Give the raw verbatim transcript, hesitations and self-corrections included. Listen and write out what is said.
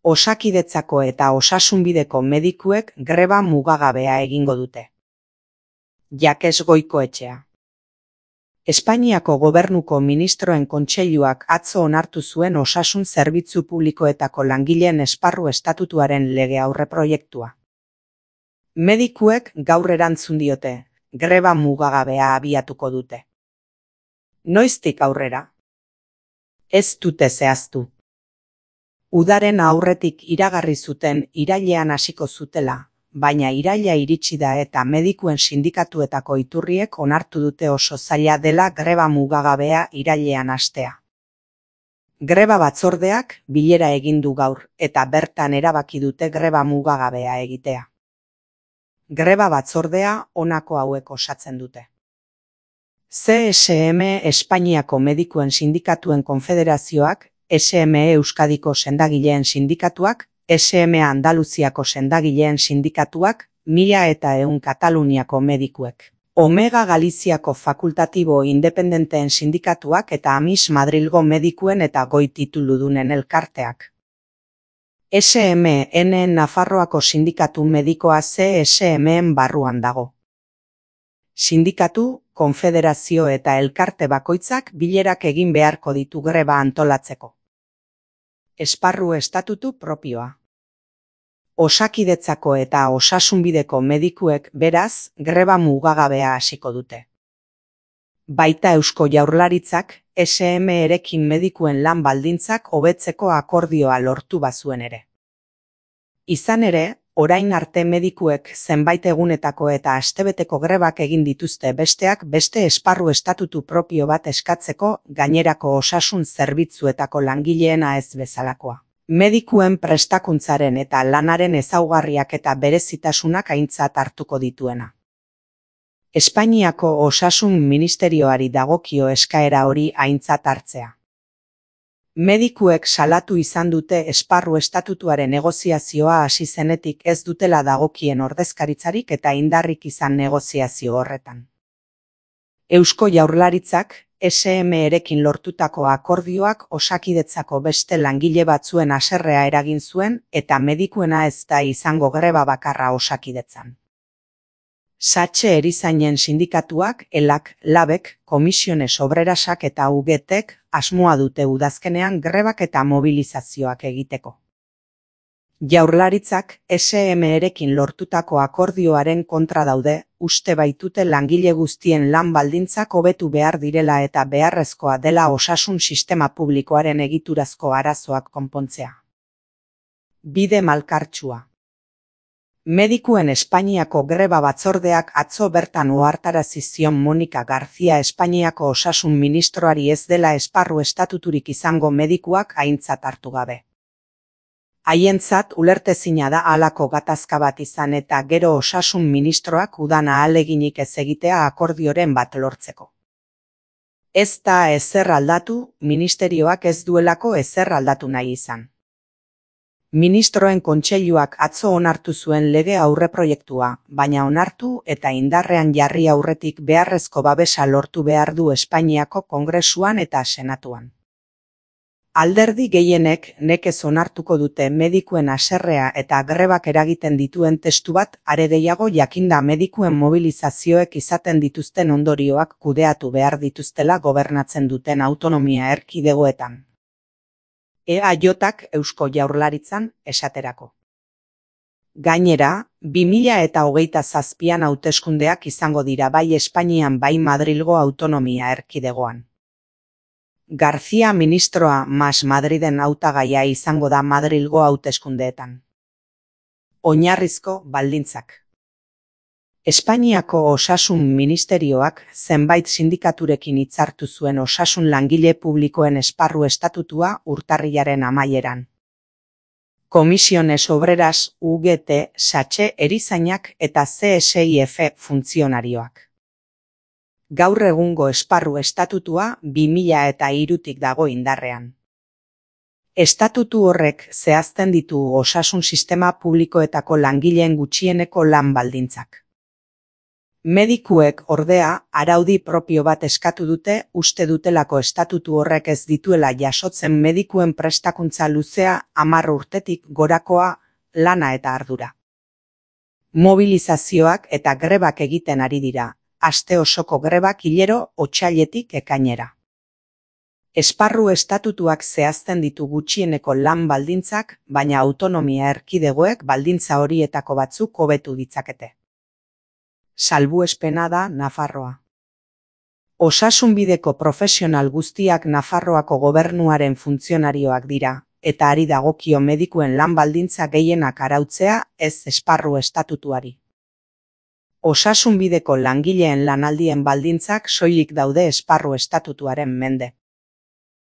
Osakidetzako eta osasunbideko medikuek greba mugagabea egingo dute. Jakes Goikoetxea. Espainiako Gobernuko Ministroen Kontseiluak atzo onartu zuen osasun zerbitzu publikoetako langileen esparru estatutuaren lege aurreproiektua. Medikuek gaur erantzun diote, greba mugagabea abiatuko dute. Noiztik aurrera? Ez dute zehaztu. Udaren aurretik iragarri zuten irailean hasiko zutela, baina iraila iritsi da eta medikuen sindikatuetako iturriek onartu dute oso zaila dela greba mugagabea irailean hastea. Greba batzordeak bilera egin du gaur eta bertan erabaki dute greba mugagabea egitea. Greba batzordea honako hauek osatzen dute. C S M Espainiako Medikuen Sindikatuen Konfederazioak, S M E Euskadiko sendagileen sindikatuak, S M E Andaluziako sendagileen sindikatuak, mila eta ehun Kataluniako medikuek, Omega Galiziako fakultatibo independenteen sindikatuak eta Amis Madrilgo medikuen eta goi tituludunen elkarteak. S M N Nafarroako sindikatu medikoa C S M-en barruan dago. Sindikatu, konfederazio eta elkarte bakoitzak bilerak egin beharko ditu greba antolatzeko. Esparru estatutu propioa. Osakidetzako eta osasunbideko medikuek beraz greba mugagabea hasiko dute. Baita Eusko Jaurlaritzak S M erekin medikuen lan baldintzak hobetzeko akordioa lortu bazuen ere. Izan ere, orain arte medikuek zenbait egunetako eta astebeteko grebak egin dituzte besteak beste esparru estatutu propio bat eskatzeko gainerako osasun zerbitzuetako langileena ez bezalakoa. Medikuen prestakuntzaren eta lanaren ezaugarriak eta berezitasunak aintzat hartuko dituena. Espainiako Osasun Ministerioari dagokio eskaera hori aintzat hartzea. Medikuek salatu izan dute esparru estatutuaren negoziazioa hasi zenetik ez dutela dagokien ordezkaritzarik eta indarrik izan negoziazio horretan. Eusko Jaurlaritzak S M erekin lortutako akordioak Osakidetzako beste langile batzuen haserrea eragin zuen eta medikuena ez da izango greba bakarra Osakidetzan. Satxe erizainen sindikatuak, elak, labek, komisiones obrerasak eta U G Tek asmoa dute udazkenean grebak eta mobilizazioak egiteko. Jaurlaritzak S M erekin lortutako akordioaren kontra daude, uste baitute langile guztien lan baldintzak hobetu behar direla eta beharrezkoa dela osasun sistema publikoaren egiturazko arazoak konpontzea. Bide malkartsua. Medikuen Espainiako greba batzordeak atzo bertan ohartarazi zion Monika García Espainiako osasun ministroari ez dela esparru estatuturik izango medikuak aintzat hartu gabe. Haientzat ulertezina da halako gatazka bat izan eta gero osasun ministroak udan ahaleginik ez egitea akordioren bat lortzeko. Ez da ezer aldatu, ministerioak ez duelako ezer aldatu nahi izan. Ministroen Kontseiluak atzo onartu zuen lege aurreproiektua, baina onartu eta indarrean jarri aurretik beharrezko babesa lortu behar du Espainiako Kongresuan eta Senatuan. Alderdi gehienek nekez onartuko dute medikuen haserrea eta grebak eragiten dituen testu bat are gehiago jakinda medikuen mobilizazioek izaten dituzten ondorioak kudeatu behar dituztela gobernatzen duten autonomia erkidegoetan. E A J-ak Eusko Jaurlaritzan esaterako. Gainera, bi mila eta hogeita zazpian hauteskundeak izango dira bai Espainian bai Madrilgo autonomia erkidegoan. García ministroa Mas Madriden hautagaia izango da Madrilgo hauteskundeetan. Oinarrizko baldintzak. Espainiako Osasun Ministerioak zenbait sindikaturekin hitzartu zuen osasun langile publikoen esparru estatutua urtarrilaren amaieran. Komisiones Obreras, U G T, Satxe erizainak eta C S I F funtzionarioak. Gaur egungo esparru estatutua bi mila eta hirutik dago indarrean. Estatutu horrek zehazten ditu osasun sistema publikoetako langileen gutxieneko lan baldintzak. Medikuek, ordea, araudi propio bat eskatu dute uste dutelako estatutu horrek ez dituela jasotzen medikuen prestakuntza luzea hamar urtetik gorakoa lana eta ardura. Mobilizazioak eta grebak egiten ari dira, aste osoko grebak hilero otsailetik ekainera. Esparru estatutuak zehazten ditu gutxieneko lan baldintzak, baina autonomia erkidegoek baldintza horietako batzuk hobetu ditzakete. Salbuespena da Nafarroa. Osasunbideko profesional guztiak Nafarroako gobernuaren funtzionarioak dira, eta ari dagokio medikuen lan baldintza gehienak arautzea ez esparru estatutuari. Osasunbideko langileen lanaldien baldintzak soilik daude esparru estatutuaren mende.